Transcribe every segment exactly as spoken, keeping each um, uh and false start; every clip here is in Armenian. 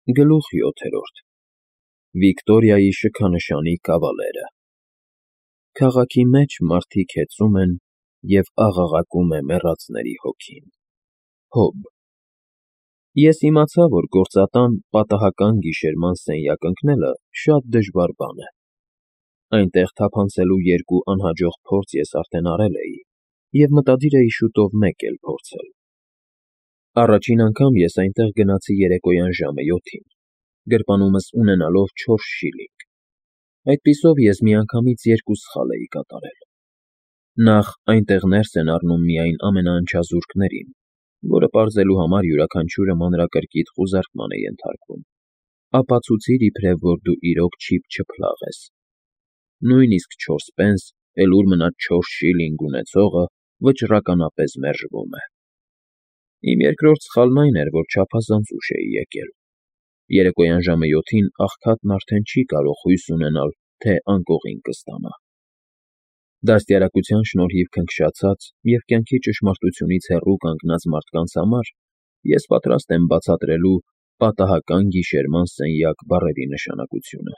Գլուխ յոթերորդ Վիկտորիայի շքանշանի կավալերը Քաղաքի մեջ մարդիկ հեծում են և աղաղակում է մեռածների հոգին։ Հոբ Ես իմացա, որ գործատան պատահական գիշերման սենյակ ընկնելը շատ դժվար բան է։ Այնտեղ թափանցելու երկու անհաջող փորձ ես արդեն արել էի և մտադիր էի շուտով մեկ էլ փորձել։ Առաջին անգամ ես այնտեղ գնացի երեկոյան ժամը յոթին, գրպանումս ունենալով չորս շիլինգ։ Այդպիսով ես միանգամից երկու սխալ էի կատարել։ Նախ, այնտեղ ներս են առնում միայն ամենաանչազուրկներին, որը պարզելու համար յուրաքանչյուրը մանրակրկիտ խուզարկման է ենթարկվում, ապացուցիր, իբրև որ դու իրոք չիփ չփլաղ ես։ Նույնիսկ չորս պենս, էլ ուր մնաց չորս շիլինգ ունեցողը վճռականապես մերժվում է։ Իմ երկրորդ սխալն այն էր, որ չափազանց ուշ էի եկել։ Երեկոյան ժամը յոթին աղքատն արդեն չի կարող հույս ունենալ, թե անկողին կստանա։ Դաստիարակության շնորհիվ քնքշացած և կյանքի ճշմարտությունից հեռու կանգնած մարդկանց համար ես պատրաստ եմ բացատրելու «պատահական գիշերման սենյակ» բառերի նշանակությունը։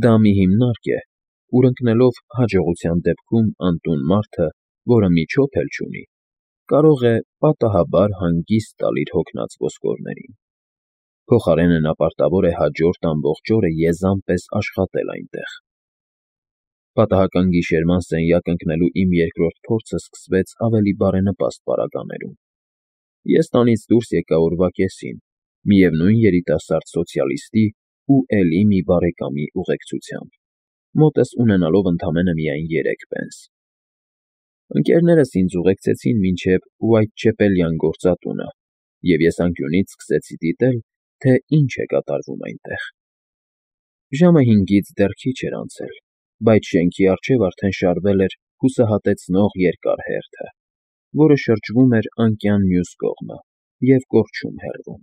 Դա մի հիմնարկ է, ուր ընկնելով հաջողության դեպքում անտուն մարդը, որը մի չոփ էլ չունի, կարող է պատահաբար հանգիստ տալ իր հոգնած ոսկորներին։ Փոխարենը նա պարտավոր է հաջորդ ամբողջ օրը եզան պես աշխատել այնտեղ։ Պատահական գիշերման սենյակ ընկնելու իմ երկրորդ փորձը սկսվեց ավելի բարենպաստ պարագաներում։ Ես տանից դուրս եկա օրվա կեսին, միևնույն երիտասարդ սոցիալիստի ու էլի մի բարեկամի ուղեկցությամբ, մոտս ունենալով ընդամենը միայն երեք պենս։ Ընկերներս ինձ ուղեկցեցին մինչև Ուայթչեպելյան գործատունը, և ես անկյունից սկսեցի դիտել, թե ինչ է կատարվում այնտեղ։ Ժամը հինգից դեռ քիչ էր անցել, բայց շենքի առջև արդեն շարվել էր հուսահատեցնող երկար հերթը, որը շրջվում էր անկյան մյուս կողմը և կորչում հեռվում։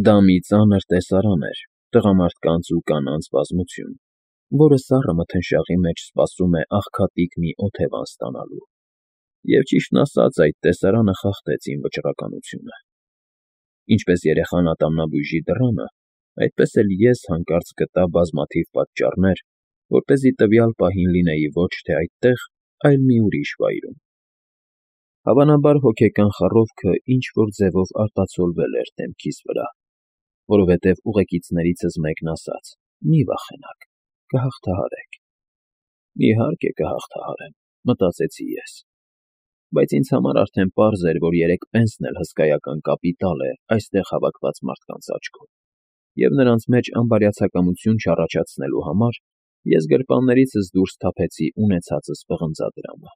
Դա մի ծանր տեսարան էր, տղամարդկանց ու կանանց բազմություն, որը սառը մթնշաղի մեջ սպասում է աղքատիկ մի օթևան ստանալու, և ճիշտն ասած այդ տեսարանը խախտեց իմ վճռականությունը։ Ինչպես երեխան ատամնաբույժի դռանը, այդպես էլ ես հանկարծ գտա բազմաթիվ պատճառներ, որպեսզի տվյալ պահին լինեի ոչ թե այդտեղ, այլ մի ուրիշ վայրում։ Հավանաբար հոգեկան խառովքը ինչ֊որ ձևով արտացոլվել էր դեմքիս վրա, որովհետև ուղեկիցներիցս մեկն ասաց. «Մի վախենաք, կհաղթահարեք»։ Իհարկե կհաղթահարեմ, մտածեցի ես, բայց ինձ համար արդեն պարզ էր, որ երեք պենսն էլ հսկայական կապիտալ է այստեղ հավաքված մարդկանց աչքում, և նրանց մեջ անբարյացակամություն չառաջացնելու համար ես գրպաններիցս դուրս թափեցի ունեցածս պղնձադրամը։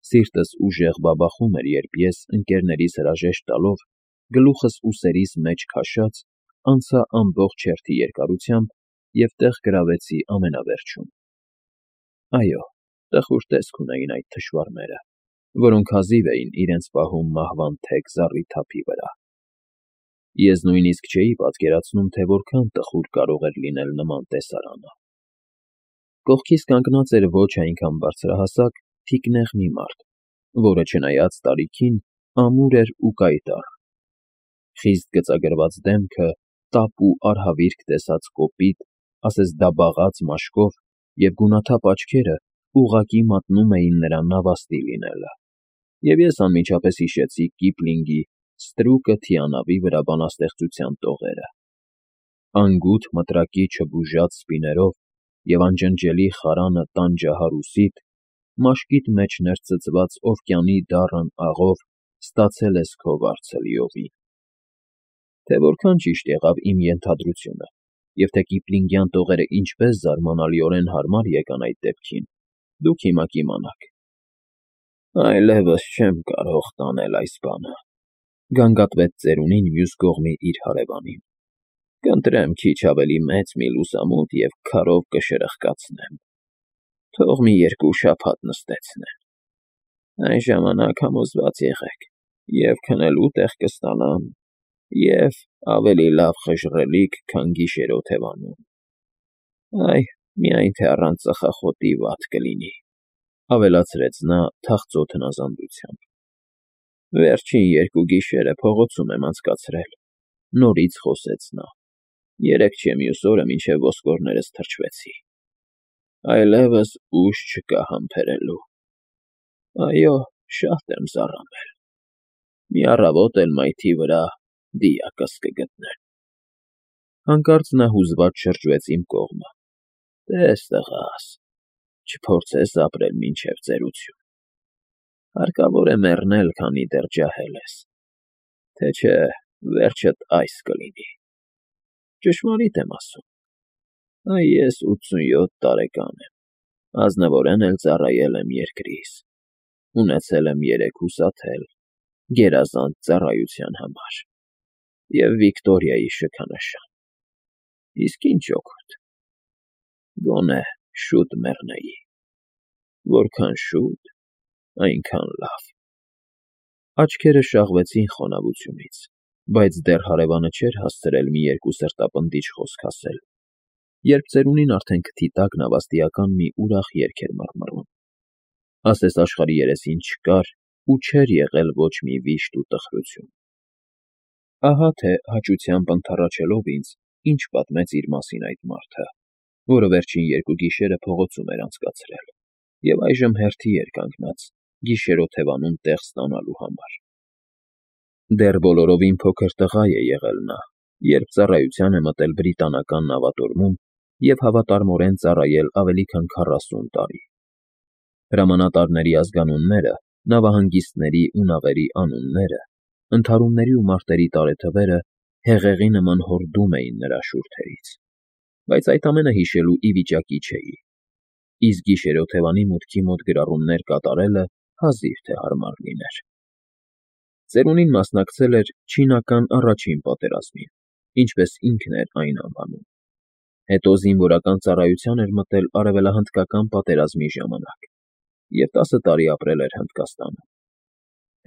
Սիրտս ուժեղ բաբախում էր, երբ ես, ընկերներիս հրաժեշտ տալով, գլուխս ուսերիս մեջ քաշած, անցա ամբողջ հերթի երկարությամբ և տեղ գրավեցի ամենավերջում։ Այո, տխուր տեսք ունեին այդ թշվառները, որոնք հազիվ էին իրենց պահում մահվան թեք զառիթափի վրա։ Ես նույնիսկ չէի պատկերացնում, թե որքան տխուր կարող էր լինել նման տեսարանը։ Կողքիս կանգնած էր ոչ այնքան բարձրահասակ, թիկնեղ մի մարդ, որը, չնայած տարիքին, ամուր էր ու կայտառ։ Խիստ գծագրված դեմքը, տապ ու արհավիրք տեսած կոպիտ, ասես դաբաղած մաշկով և գունաթափ աչքերը ուղղակի մատնում էին նրա նավաստի լինելը, և ես անմիջապես հիշեցի Կիպլինգի «Ստրուկը թիանավի վրա» բանաստեղծության տողերը. Անգութ մտրակի չբուժած սպիներով և անջնջելի խարանը տանջահար ու սիթ, մաշկիդ մեջ ներծծված օվկիանի դառն աղով ստացել ես քո վարձը լիովին։ Թե որքան ճիշտ եղավ իմ ենթադրությունը, և թե կիպլինգյան տողերը ինչպես զարմանալիորեն հարմար եկան այդ դեպքին, դուք հիմա կիմանաք։ «Այլևս չեմ կարող տանել այս բանը», ֊ գանգատվեց ծերունին մյուս կողմի իր հարևանին։ «Կընտրեմ քիչ ավելի մեծ մի լուսամուտ և քարով կշրխկացնեմ։ Թող մի երկու շաբաթ նստեցնեն։ Այն ժամանակ համոզված եղեք, և՛ քնելու տեղ կստանամ, և՛ ավելի լավ խժռելիք, քան գիշեր օթևանում։ Այ, միայն թե առանց ծխախոտի վատ կլինի», ֊ ավելացրեց նա թախծոտ հնազանդությամբ։ «Վերջին երկու գիշերը փողոցում եմ անցկացրել, նորից խոսեց նա. երեկ չէ մյուս օրը մինչև ոսկորներս թրջվեցի, այլևս ուժ չկա համբերելու, այո, շատ եմ զառամել, մի առավոտ էլ մայթի վրա դիակս կգտնեն։ Հանկարծ նա հուզված շրջվեց իմ կողմը. տես, տղաս, չփորձես ապրել մինչև ծերություն, հարկավոր է մեռնել, քանի դեռ ջահել ես, թե չէ վերջդ այս կլինի։ Ճշմարիտ եմ ասում, այ ես ութսունյոթ տարեկան եմ, ազնվորեն էլ ծառայել եմ երկրիս, ունեցել եմ երեք ուսաթել, գերազանց ծառայության համար և Վիկտորիայի շքանշան, իսկ ինչ օգուտ, գոնե շուտ մեռնեի, որքան շուտ, այնքան լավ։ Աչքերը շաղվեցին խոնավությունից, բայց դեռ հարևանը չէր հասցրել մի երկու սրտապնդիչ խոսք ասել, երբ ծերունին արդեն քթի տակ նավաստիական մի ուրախ երգ էր մռմռում, ասես աշխարհի երեսին չկար ու չէր եղել ոչ մի վիշտ ու տխրություն։ Ահա թե հաճությամբ ընդառաջելով ինձ, ինչ պատմեց իր մասին այդ մարդը, որը վերջին երկու գիշերը փողոցում էր անցկացրել և այժմ հերթի էր կանգնած գիշերօթևանում տեղ ստանալու համար։ Դեռ բոլորովին փոքր տղա է եղել նա, երբ ծառայության է մտել բրիտանական նավատորմում և հավատարմորեն ծառայել ավելի քան քառասուն տարի։ Հրամանատարների ազգանունները, նավահանգիստների ու նավերի անունները, ընդհարումների ու մարտերի տարեթվերը հեղեղի նման հորդում էին նրա շուրթերից, բայց այդ ամենը հիշելու ի վիճակի չէի, իսկ գիշերօթևանի մուտքի մոտ գրառումներ կատարելը հազիվ թե հարմար լիներ։ Ծերունին մասնակցել էր Չինական առաջին պատերազմին, ինչպես ինքն էր այն անվանում, հետո զինվորական ծառայության էր մտել Արևելահնդկական պատերազմի ժամանակ և տասը տարի ապրել էր Հնդկաստանում։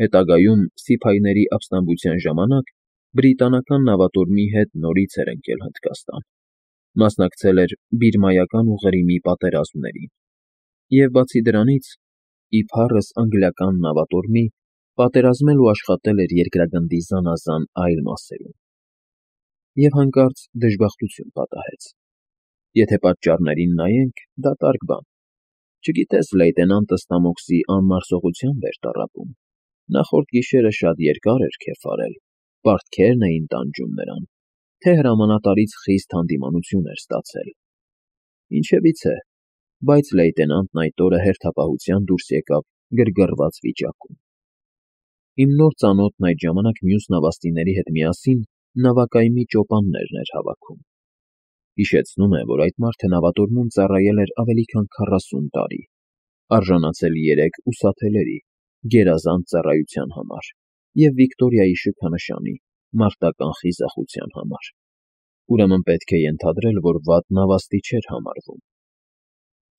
Հետագայում սիփայիների ապստամբության ժամանակ բրիտանական նավատորմի հետ նորից էր ընկել Հնդկաստան, մասնակցել էր Բիրմայական ու Ղրիմի պատերազմներին և, բացի դրանից, իբառս անգլիական նավատորմի, պատերազմել ու աշխատել էր երկրագնդի զանազան այլ մասերում։ Եվ հանկարծ դժբախտություն պատահեց։ Եթե պատճառներին նայենք, դատարկ բան, չգիտես լեյտենանտը ստամոքսի անմարսողությամբ էր տառապում, նախորդ գիշերը շատ երկար էր քեֆ արել, պարտքերն էին տանջում նրան, թե հրամանատարից խիստ հանդիմանություն էր ստացել։ Ինչևիցե, բայց լեյտենանտն այդ օրը հերթապահության դուրս եկավ գրգռված վիճակում։ Իմ նոր ծանոթն այդ ժամանակ մյուս նավաստիների հետ միասին նավակայմի ճոպաններն էր հավաքում։ Հիշեցնում է, որ այդ մարդը նավատորմում ծառայել էր ավելի քան քառասուն տարի, արժանացել երեք ուսաթելերի, գերազանց ծառայության համար և Վիկտորիայի շքանշանի, մարտական խիզախության համար, ուրեմն պետք է ենթադրել, որ վատ նավաստի չէր համարվում։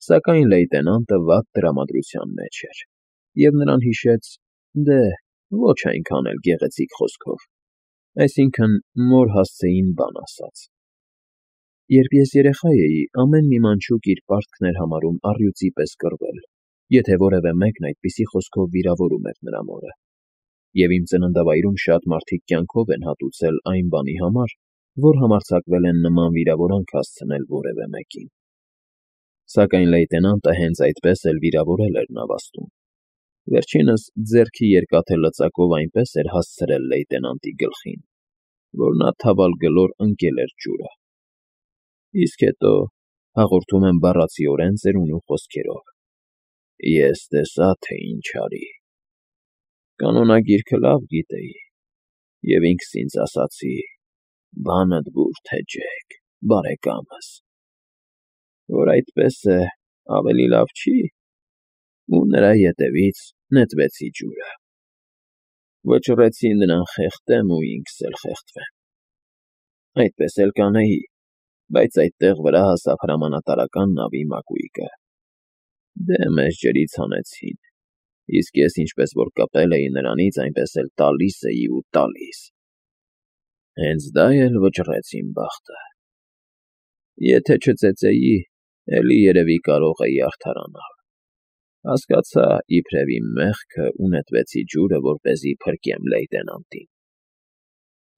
Սակայն լեյտենանտը վատ տրամադրության մեջ էր, և նրան հիշեց, դե, ոչ այնքան էլ գեղեցիկ խոսքով, այսինքն՝ մոր հասցեին բան ասած. երբ ես երեխա էի, ամեն մի մանչուկ իր պարտքն էր համարում առյուծի պես կռվել, եթե որևէ մեկն այդպիսի խոսքով վիրավորում էր նրա մորը, և իմ ծննդավայրում շատ մարդիկ կյանքով են հատուցել այն բանի համար, որ համարձակվել են նման վիրավորանք հասցնել որևէ մեկին։ Սակայն լեյտենանտը հենց այդպես էլ վիրավորել էր նավաստում։ Վերջինս ձեռքի երկաթե լծակով այնպես էր հասցրել լեյտենանտի գլխին, որ նա թավալգլոր ընկել էր ջուրը։ Իսկ հետո, հաղորդում եմ բառացիորեն ծերունու խոսքերով, ես տեսա, թե ինչ արի։ Կանոնագիրքը լավ գիտեի և ինքս ինձ ասացի. «Բանդ բուր թե Ջեք, բարեկամս, որ այդպես է, ավելի լավ չի» ու նրա ետևից նետվեցի ջուրը։ Վճռեցի նրան խեղդեմ ու ինքս էլ խեղդվեմ։ Այդպես էլ կանեի, բայց այդտեղ վրա հասավ հրամանատարական նավի մակույկը։ Դե մեզ ջրից հանեցին, իսկ ես ինչպես որ կպել էի նրանից, այնպես էլ տալիս էի ու տալիս։ Հենց դա էլ վճռեց իմ բախտը։ Եթե չծեծեի, էլի երևի կարող էի արդարանալ։ Հասկացա, իբրև իմ մեղքը ու նետվեցի ջուրը, որպեսզի փրկեմ լեյտենանտին։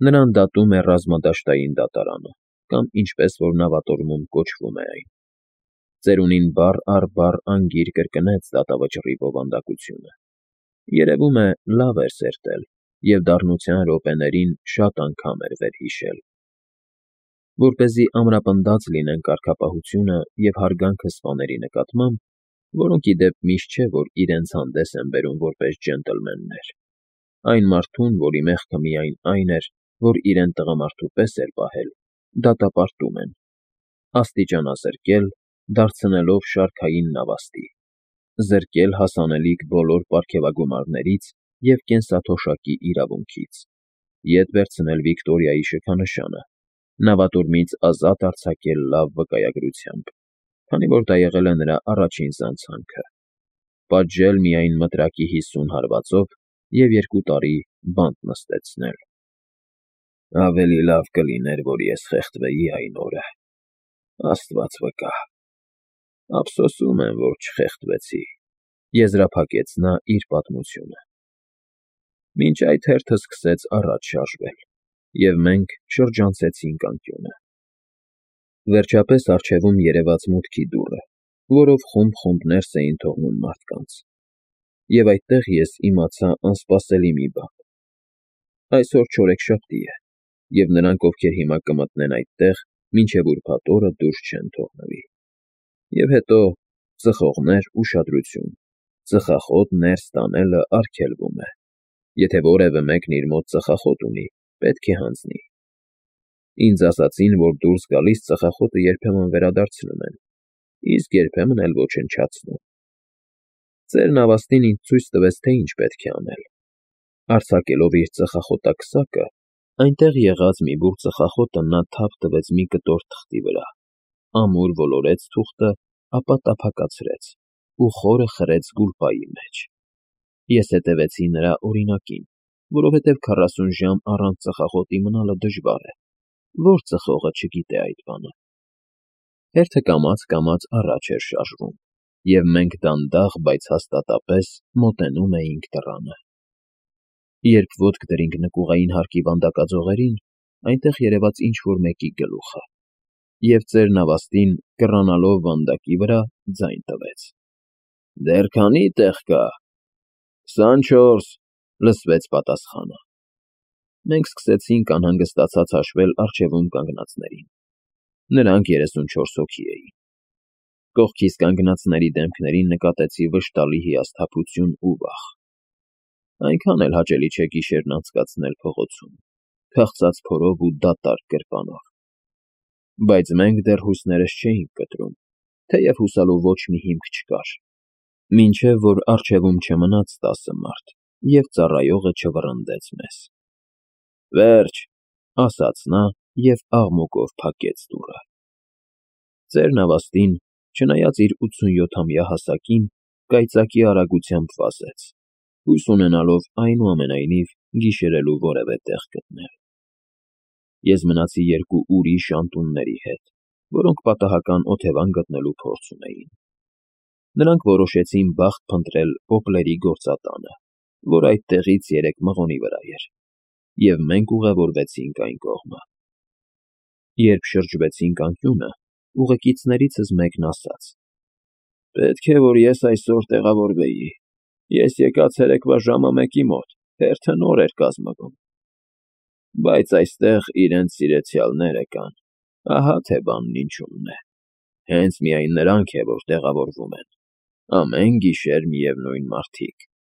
Նրան դատում է ռազմադաշտային դատարանը, կամ ինչպես որ նավատորմում կոչվում է այն։ Ծերունին բառ առ բառ անգիր կրկնեց դատավճռի բովանդակությունը։ Երևում է, լավ էր սերտել և դառնության րոպեներին շատ անգամ էր վերհիշել։ Որպեսզի ամրապնդած լինեն կարգապահությունը և հարգանքը սպաների նկատմամբ, որոնք ի դեպ միշտ չէ, որ իրենց հանդես են բերում որպես ջենտլմեններ, այն մարդուն, որի մեղքը միայն այն էր, որ իրեն տղամարդու պես էր պահել, դատապարտում են, աստիճանազրկել, դարձնելով շարքային նավաստի, զրկել հասանելիք բոլոր պարգևագումարներից և կենսաթոշակի իրավունքից, ետ վերցնել Վիկտորիայի շքանշանը, նավատորմից ազատ արձակել լավ վկայագրությամբ, քանի որ դա եղել է նրա առաջին զանցանքը, պատժել միայն մտրակի հիսուն հարվածով և երկու տարի բանտ նստեցնել։ Ավելի լավ կլիներ, որ ես խեղդվեի այն օրը, աստված վկա, ափսոսում եմ, որ չխեղդվեցի, եզրափակեց նա իր պատմությունը։ Մինչ այդ հերթը սկսեց առաջ շարժվել, և մենք շրջանցեցինք անկյունը։ Վերջապես առջևում երևաց մուտքի դուռը, որով խումբ-խումբ ներս էին թողնում մարդկանց։ Եվ այդտեղ ես իմացա անսպասելի մի բան. այսօր չորեքշաբթի է, և նրանք, ովքեր հիմա կմտնեն այդտեղ, մինչև ուրբաթ օրը դուրս չեն թողնվի։ Եվ հետո, ծխողներ, ուշադրություն, ծխախոտ ներս տանելը արգելվում է, եթե որևէ մեկն իր մոտ ծխախոտ ունի, պետք է հանձնի։ Ինձ ասացին, որ դուրս գալիս ծխախոտը երբեմն վերադարձնում են, իսկ երբեմն էլ ոչնչացնում։ Ծեր նավաստին ինձ ցույց տվեց, թե ինչ պետք է անել։ Արձակելով իր ծխախոտաքսակը, այնտեղ եղած մի բուռ ծխախոտը նա թափ տվեց մի կտոր թղթի վրա, ամուր ոլորեց թուղթը, ապա տափակացրեց ու խորը խրեց գուլպայի մեջ։ Ես հետևեցի նրա օրինակին, որովհետև քառասուն ժամ առանց ծխախոտի մնալը դժվար է, ո՞ր ծխողը չգիտե այդ բանը։ Հերթը կամաց֊կամաց առաջ էր շարժվում, և մենք դանդաղ, բայց հաստատապես մոտենում էինք դռանը։ Երբ ոտք դրինք նկուղային հարկի վանդակաձողերին, այնտեղ երևաց ինչ֊որ մեկի գլուխը, և ծեր նավաստին, կռանալով վանդակի վրա, ձայն տվեց. «Դեռ քանի՞ տեղ կա»։ «քսանչորս», լսվեց պատասխանը։ Մենք սկսեցինք անհանգստացած հաշվել առջևում կանգնածներին։ Նրանք երեսունչորս հոգի էին։ Կողքիս կանգնածների դեմքներին նկատեցի վշտալի հիասթափություն ու վախ։ Այնքան էլ հաճելի չէ գիշերն անցկացնել փողոցում, քաղցած փորով ու դատարկ գրպանով։ Բայց մենք դեռ հույսներս չէինք կտրում, թեև հուսալու ոչ մի հիմք չկար, մինչև որ առջևում չմնաց տասը մարդ, և ծառայողը չվռնդեց մեզ։ «Վերջ», ասաց նա և աղմուկով փակեց դուռը։ Ծեր նավաստին, չնայած իր ութսունյոթամյա հասակին, կայծակի արագությամբ վազեց, հույս ունենալով այնուամենայնիվ գիշերելու որևէ տեղ գտնել։ Ես մնացի երկու ուրիշ անտունների հետ, որոնք պատահական օթևան գտնելու փորձ ունեին։ Նրանք որոշեցին բախտ փնտրել Պոպլերի գործատանը, որ այդտեղից երեք մղոնի վրա էր, և մենք ուղևորվեցինք այն կողմը։ Երբ շրջվեցինք անկյունը, ուղեկիցներիցս մեկն ասաց. «Պետք է, որ ես այսօր տեղավորվեի, ես եկա ցերեկվա ժամը մեկի մոտ, հերթը նոր էր կազմվում։ Բայց այստեղ իրենց սիրեցյալները կան, ահա թե բանն ինչումն է։ Հենց միայն նրանք է, որ տեղավորվում են, ամեն գիշեր միևնույն մարդիկ»։